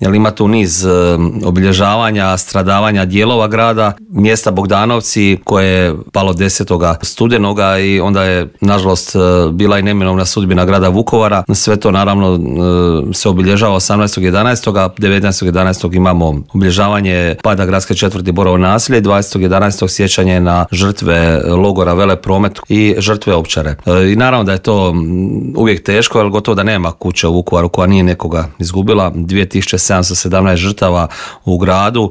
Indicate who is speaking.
Speaker 1: jer ima tu niz obilježavanja, stradavanja dijelova grada, mjesta Bogdanovci koje je palo 10. studenoga i onda je nažalost bila i neminovna sudbina grada Vukovara. Sve to naravno se obilježava 18.11. 19.11. imamo obilježavanje pada gradske četvrti Borovo naselje, 20.11. sjećanje na žrtve logora Velepromet i žrtve Ovčare. I naravno da je to uvijek teško, jer gotovo da nema kuće u Vukovaru koja nije nekoga izgubila. 2717 žrtava u gradu,